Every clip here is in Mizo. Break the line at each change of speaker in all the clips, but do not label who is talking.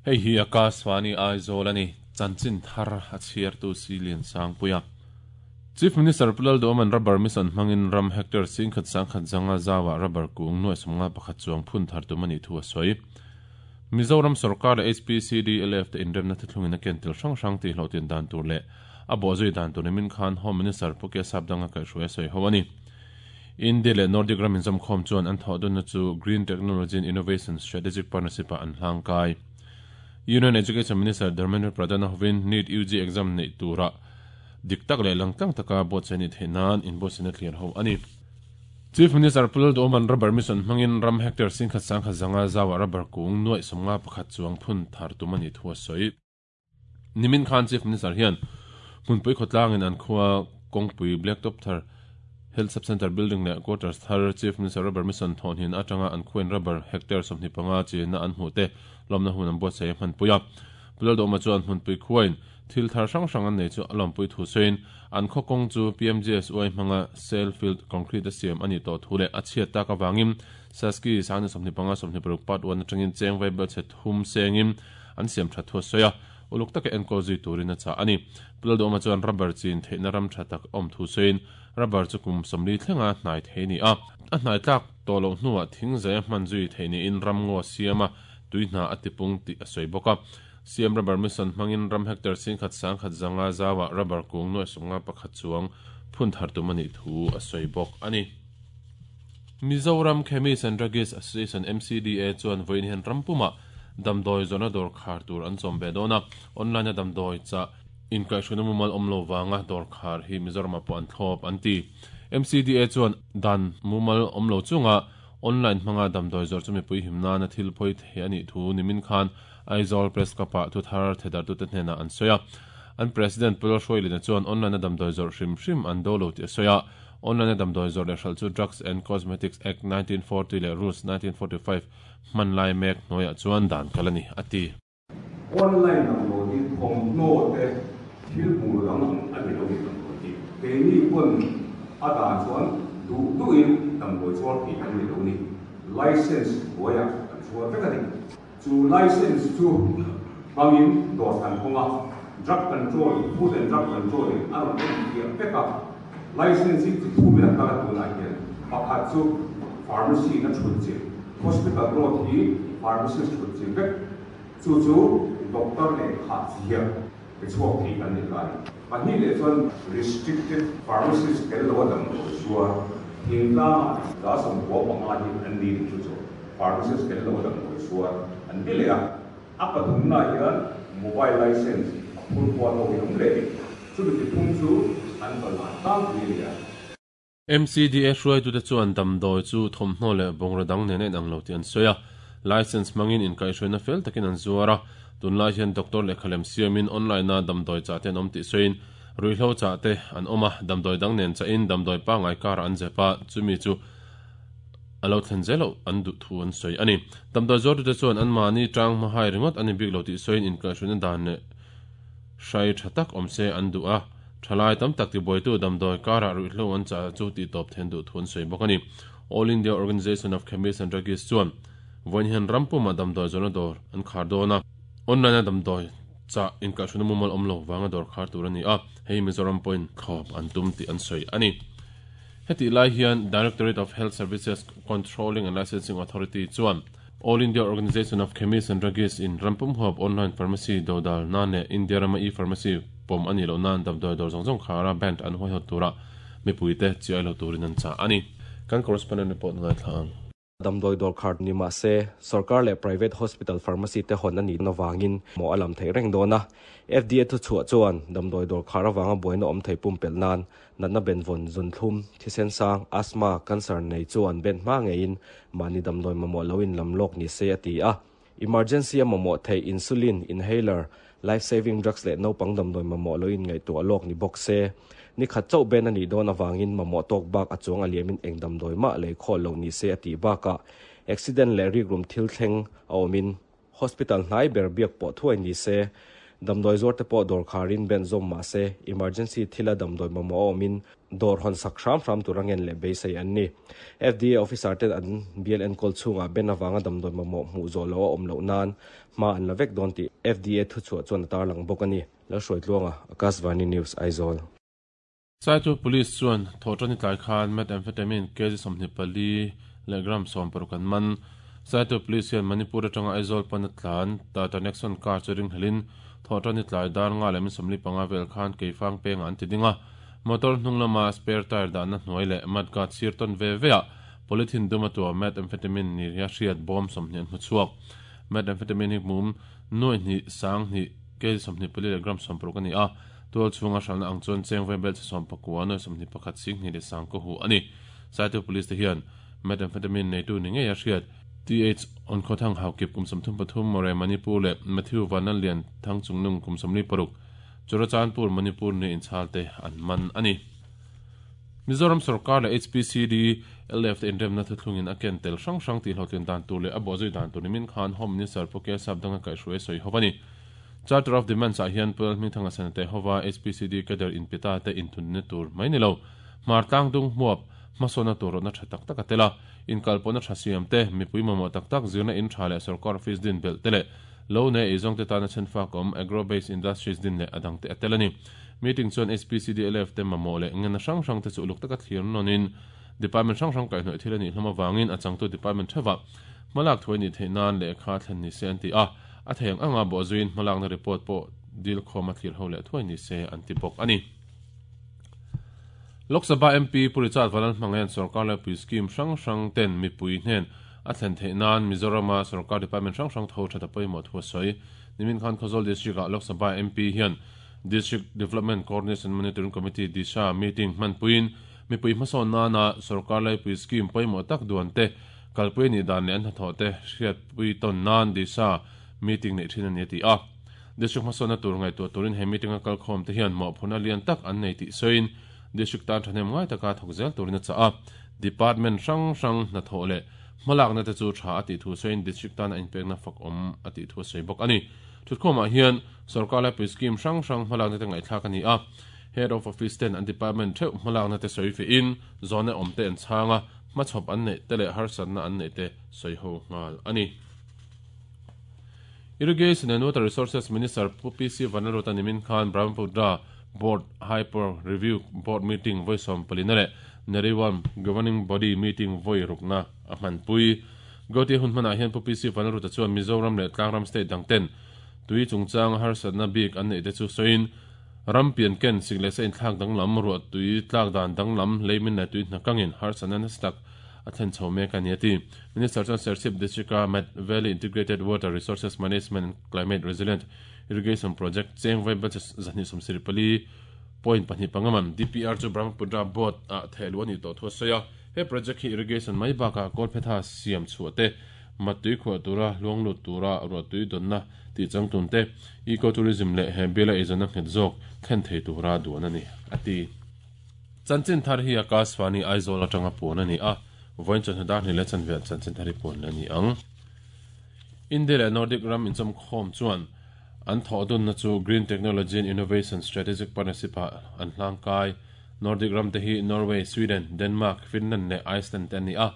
Hei hi Akashvani Aizawl a ni, chanchin thar a chhiartu Si Liansangpuia. Chief Minister Pu Lalduhawma'n Rubber Mission hmangin ram hectare singkhat sangkhat zanga zauah rubber kung nuai 51 chuang phun thar tum a nih thu a sawi. Mizoram sawrkar leh HPCDLF te inremna thuthlungin a ken tel hrang hrang tih hlawhtlin dan tur leh a bawhzui dan tur nimin khan Home Minister Pu Kesap Danga kaihhruai a sawi ho a ni. India leh Nordic ram inzawmkhawm chuan an thawhdunna chu Green Technology and Innovation Strategic Partnership-ah an hlangkai. Union Education Minister Dharmendra Pradhan-a hovin NEET UG exam neih turah dik tak leh langtlang taka buatsaih a nih theih nan inbuatsaihna thlir ho a ni. Chief Minister Pu Lalduhawma'n Rubber Mission hmangin ram hectare singkhat sangkhat zanga zauah rubber kung nuaih 51 chuang phun thar tum a nih thu a sawi. Nimin khan Chief Minister hian hmunpui khawtlangin an khua kawngpui Blacktop thar, Health Sub-Centre Building leh Quarters thar Chief Minister Rubber Mission thawhhnin atanga an khuain rubber hectare 25 chenna an hmuh te lawmna hun an buatsaih a hmanpui a. Pu Lalduhawma chuan hmunpui khuain thil thar hrang hrang an nei chu a lawmpui thu sawiin an khaw kawng chu PMGSY hmanga cell filled concrete a siam a nih tawh thu leh a chhiat tak avangin Saski sangni 25 26 part 1 atangin cheng vaibel chhe thum sengin an siam that thu a sawi a, uluk taka enkawl zui turin a chah a ni. Pu Lalduhawma chuan rubber chin theihna ram tha tak a awm thu sawiin rubber chu kum 40 thlenga hnai thei a ni a, a hnai tlak tawh loh hnuah thing zai a hman zui theih niin ram ngaw a siam a, tui hna a tipung tih a sawi bawk a. CM Rubber Mission hmangin ram hectare singkhat sangkhat zanga zauah rubber kung nuai 51 chuang phun thar tum a nih thu a sawi bawk a ni. Mizoram Chemist and Druggist Association, MCDA, chuan vawiin hian ram pumah damdawi zawrhna dawr khar tur an chawm ve dawn a, online-a damdawi chah inkaihhruaina mumal awm lo vanga dawr khar hi Mizoramah pawh an thlawp an ti. MCDA chuan dan mumal awm lo chunga online hmanga damdawi zawrh chu mipui him nana thil pawi thei a nih thu nimin khan Aizawl Press Club-ah thuthar thedartute hnenah an sawi a. An President Pu Lalhruailina chuan online-a damdawi zawrh hrim hrim an do lo tih a sawi a. Online-a damdawi zawrh leh hralh chu Drugs and Cosmetics Act 1940 leh Rules 1945 hman lai mek hnuaiah chuan dan kal a ni, a ti.
Online damdawi hi thawmhnaw te thil hmuh dang ang a ni lo ni damdawi hi. Keini pawn a dan chuan duh duhin damdawi chhuar thei kan ni lo ni. License hnuaiah kan chhuar vek a ni. Chu license chu hmangin dawr kan hawng a, Drug Control, Food and Drug Control in a rawn en fiah vek a. License hi chi thumin a kal a tunah hian pakhat chu pharmacy in a thut chilh, hospital road hi pharmacist thut chilh vek, chu chu doctor leh khah ziak pe chhuak thei kan ni ta a ni. Pahnih leh chuan restricted pharmacist tel lo a damdawi zuar thingtlangah 95 hi an ni tih chu chu pharmacist tel lo a damdawi zuar an ti leh a. A pathumnaah hian mobile license a phur kual ho hi a awm leh ni. Chumi tiphung chu an kalhlan tlangpui a ni a.
MCDA hruaitute chuan damdawi chu thawmhnaw leh bungraw dang nen a inang lo tih an sawi a. License hmangin inkaihhruaina fel takin an zuar a. Tunlai hian doctor lehkha lem siamin online-a damdawi chah te an awm tih sawiin ruihhlo chah te an awm a, damdawi dang nen chahin damdawi pangngai karah an zep a, chumi chu a lo thlen zel loh an duh thu an sawi a ni. Damdawi zuartute chuan anmahni tang hmahai ringawt a ni bik lo tih sawiin inkaihhruaina dan leh hrai tha tak awm se an duh a, thalai tam tak tibuaitu damdawi karah ruihhlo an chah chu tihtawp then duh thu an sawi bawk a ni. All India Organisation of Chemists and Druggists chuan vawiin hian ram pumah damdawi zawrhna dawr an khar dawn a, online-a damdawi chah inkaihhruaina mumal awm lo vanga dawr khar tur a ni a, hei Mizoram pawhin thlawp an tum tih an sawi a ni. Hetih lai hian Directorate of Health Services Controlling and Licensing Authority chuan All India Organisation of Chemists and Druggists in rampum huap online pharmacy dodal nan leh India rama e-pharmacy pawm a nih loh nan damdawi dawr zawng zawng khara band an huaihawt tura mipuite chiai lo turin an chah a ni. Kan correspondent report ngaithla ang.
Damdawi dawr khar ni mah se, sorkar leh private hospital pharmacy te hawn a nih avangin mawh a lam theih reng dawn a. FDA thuchhuah chuan damdawi dawr khar avanga buaina awm thei pumpelh nan natna benvawn, zunthlum, thisen sang, asthma, cancer nei chu an ben hma ngeiin mahni damdawi mamawh lo in lam lawk ni se a ti a. Emergency a mamawh theih insulin, inhaler, life saving drugs leh naupang damdawi mamawh lo in ngaihtuah lawk ni bawk se. Ni khat chauh ben a nih dawn avangin mamawh tawk bak a chuang a liamin eng damdawi mah lei khawh loh ni se a tih bakah accident leh rikrum thil thleng a awmin hospital hnai ber biak pawh thuai ni se. Damdawi zuar te pawh dawr kharin ben zawm mah se, emergency thila damdawi mamawh a awmin dawr hawn sak hram hram tur a ngen leh beisei an ni. FDA officer ten an bial enkawl chhungah ben avanga damdawi mamawh hmuh zawh loh a awm loh nan hma an la vek dawn tih FDA thuchhuah chuan a tarlang bawk a ni. Lalhruaitluanga, Akashvani News, Aizawl.
Saitu Police chuan thawhṭani tlai khan Methamphetamine kg 24 leh gram 60 an man. Saitu Police hian Manipur atanga Aizawl pana tlan Tata Nexon car chu ringhlelin thawhṭani tlai dar nga leh min 45 vel khan Keifang pengah an ti ding a. Motor hnung lama spare tyre dahna hnuai leh mudguard sir tawn ve veah polythene dum a tua methamphetamine ni ria hriat bawm 20 an hmu chhuak. Methamphetamine hi mum nuai hnih sang hnih kg 24 leh gram 60 a ni a. Tual chhunga hralhna ang chuan cheng vai bel chi 19 nuai 21 sing hnih leh sang kaw hu a ni. Saitu Police te hian Methamphetamine neitu ni ngei a hriat. TH Onkhawthang Haukip kum 33 More Manipur leh Matthew Vanlallian Thangchungnung kum 46 Churachandpur Manipur ni inchhal te an man a ni. Mizoram sorkar leh HPCD LF te inremna thuthlungin a ken tel hrang hrang tihhlawhtlin dan tur leh a bawhzui dan tur nimin khan Home Minister Pu Kesap Danga kaihhruai sawi ho a ni. Charter of Demands ah hian Pu Lalhmingthanga Senate hova HPCD cadre inpita te inthunna tur mai ni lo. Hmar tlang dung hmuap hmasawnna tur rawtna tha tak tak a tel a. Inkalpawhna tha siam te, mipui mamawh tak tak zirna in tha leh sorkar office din belh te leh lo nei eizawng te tana chhenfak awm agro-based industries din leh a dang te a tel a ni. Meeting chuan HPCDLF te mamawh leh ngenna hrang hrang te chu uluk taka thlir nawnin department hrang hrang kaihhnawih thil a nih hlawm avangin a changtu department theuhah hmalak thuai nih theih nan lehkha thlen ni se an ti a. A thei ang anga bawhzuiin hmalakna report pawh dil khawm a thlir ho leh thuai ni se an ti bawk a ni. Lok Sabha MP Pu Richard Vanlalhmangaian sorkar laipui scheme hrang hrang ten mipui hnen a thlen theih nan Mizorama sorkar department hrang hrang tho that a pawimawh thu a sawi. Nimin khan Khawzawl District-ah Lok Sabha MP hian District Development Coordination Monitoring Committee, DISHA, meeting hmanpuiin mipui hmasawn nana sorkar laipui scheme pawimawh tak duan te kalpui a nih dan leh an hnathawh te hriatpui tawn nan DISHA meeting neih thin a ni a ti a. District hmasawnna tur ngaihtuah turin he meeting a kalkhawm te hian mawhphurhna lian tak an nei tih sawiin District tan thahnem ngai taka thawk zel turin a chah a. Department hrang hrang hnathawh leh hmalakna te chu tha a tih thu sawiin District tan a inpekna fak awm a tih thu a sawi bawk a ni. Thutkhawmah hian sorkar laipui scheme hrang hrang hmalakna te ngaihthlak a ni a. Head of Office ten an department theuh hmalakna te sawi fehin zawhna awm te an chhang a, hmachhawp an neih te leh harsatna an neih te sawi ho nghal a ni. Irrigation and Water Resources Minister Pu PC Vanlalruata nimin khan Brahmaputra Board High Power Review Board Meeting vawi 14 leh Neriwam Governing Body Meeting vawi rukna a hmanpui. Gauti hun hmanah hian Pu PC Vanlalruata chuan Mizoram leh Tlangram State dang ten tui chungchanga harsatna bik an neih te chu sawiin ram pian ken sik leh sa inthlak danglam, ruah tui tlak dan danglam, leimin leh tui hnakangin harsatna nasa tak a thlen chho mek a ni a ti. Minister chuan Serchhip District-a Mat Valley Integrated Water Resources Management and Climate Resilient Irrigation Project cheng vai budget 274 point pahnih panga man DPR chu Brahmaputra Board ah theh luh a nih tawh thu a sawi a. He project hi irrigation mai bakah kawlphetha siam chhuah te, mat tui khuah tura luang lut tura ruah tui dawnna tih changtun te, eco-tourism leh he biala eizawnna nghet zawk thlen thei tura duan a ni, a ti. Chanchin thar hi Akashvani Aizawl atanga puan a ni a, vawiin chawhnu dar hnih leh chanve ah chanchin thar hi puan la ni ang. India leh Nordic ram inchawmkhawm chuan an thawhdunna chu Green Technology and Innovation Strategic Partnership ah an hlangkai. Nordic ram te hi Norway, Sweden, Denmark, Finland leh Iceland te an ni a.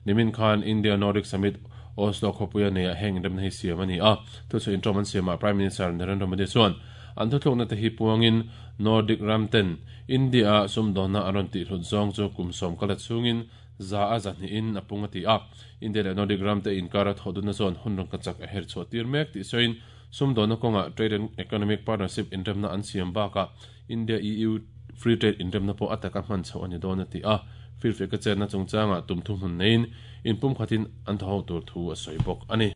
Nimin khan India Nordic Summit Oslo khawpuia neiah heng inremna hi siam a ni a. Thuchhuah intawm an siamah Prime Minister Narendra Modi chuan an thuthlukna te hi puangin Nordic ram ten India-a sumdawnna an rawn tihhlut zawng chu kum 10 kal ta chhungin za a za hnihin a pung a ti a. India leh Nordic ram te inkara thawhdunna chuan hun rawn ka chak a her chhuah tir mek tih sawiin sumdawnna kawngah Trade and Economic Partnership inremna an siam bakah India-EU Free Trade inremna pawh a taka hman chhoh a ni dawn a ti a. Firfiak ka chetna chungchangah tum thuhmun neiin inpumkhatin an thaw ho tur thu a sawi bawk a ni.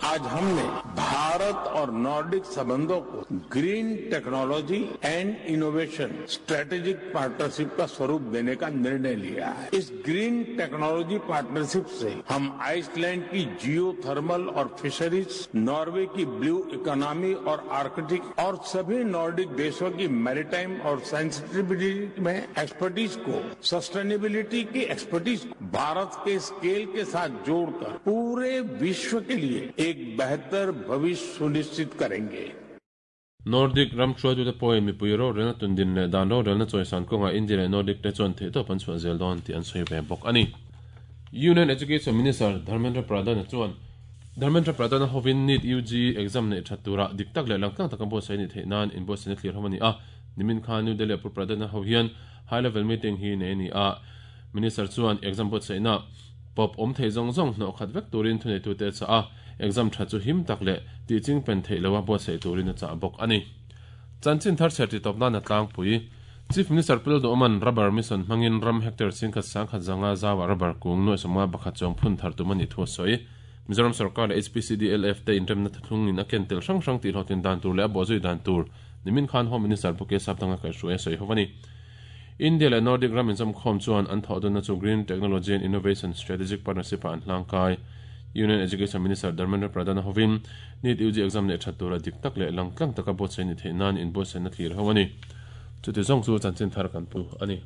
आज हमने भारत और Nordic संबंधों को green technology and innovation strategic partnership का स्वरूप देने का निर्णय लिया है। इस green technology partnership से हम आइसलैंड की जियो थर्मल और फिशरीज, नॉर्वे की ब्लू इकोनॉमी और आर्कटिक और सभी नॉर्डिक देशों की मैरीटाइम और सेंसिटिविटी में एक्सपर्टीज को, सस्टेनेबिलिटी की एक्सपर्टीज को भारत के स्केल के साथ जोड़कर पूरे विश्व के लिए एक बेहतर भविष्य सुनिश्चित करेंगे।
Nordic ram hruaitute pawhin mipui rorelna tundin leh dan rorelna chawisan kawngah India leh Nordic te chuan theihtawp an chhuah zel dawn tih an sawi ve bawk a ni. Union Education Minister Dharmendra Pradhan-a chuan Dharmendra Pradhan-a hovin NEET UG exam neih that tura dik tak leh langtlang taka buatsaih a nih theih nan inbuatsaihna thlir ho a ni a. Nimin khan New Delhi-a Pu Pradhan-a ho hian High Level Meeting hi nei a ni a. Minister chuan exam buatsaihna pawp awm thei zawng zawng hnawh khat vek turin thuneitute a chah a, exam tha chu him tak leh tih ching pen theih loha buatsaih turin a chah bawk a ni. Chanchin thar chher titawp nan a tlangpui. Chief Minister Pu Lalduhawma'n Rubber Mission hmangin ram hectare chingkhat sangkhat zanga zauah rubber kung nuaih sawmnga pakhat chuang phun thar tum a nih thu a sawi. Mizoram sorkar leh HPCDLF te inremna thuthlungin a ken tel hrang hrang tihhlawhtlin dan tur leh a bawhzui dan tur nimin khan Home Minister Pu Kesapdanga kaihhruai a sawi ho a ni. India leh Nordic ram inzawmkhawm chuan an thawh dunna chu Green Technology and Innovation Strategic Partnership-ah an hlangkai. Union Education Minister Dharmendra Pradhan-a hovin NEET UG exam neih that tura dik tak leh langtlang taka buatsaih ni theih nan inbuatsaihna thlir ho a ni. Chuti zawng chu chanchin thar kan pu a ni.